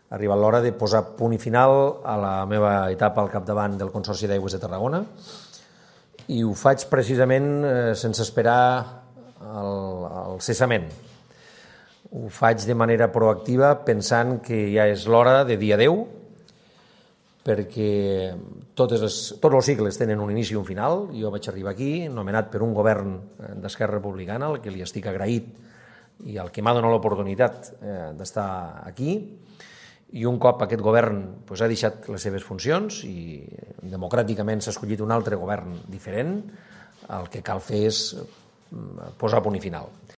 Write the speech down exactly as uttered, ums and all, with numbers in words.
ha arribat l'hora de posar punt i final a la meva etapa al capdavant del Consorci d'Aigües de Tarragona i ho faig precisament sense esperar el, el cessament. Ho faig de manera proactiva pensant que ja és l'hora de dir adeu, perquè totes les, tots els cicles tenen un inici i un final. Jo vaig arribar aquí, nomenat per un govern d'Esquerra Republicana, al que li estic agraït i al que m'ha donat l'oportunitat d'estar aquí, i un cop aquest govern doncs, ha deixat les seves funcions i democràticament s'ha escollit un altre govern diferent, el que cal fer és posar punt i final.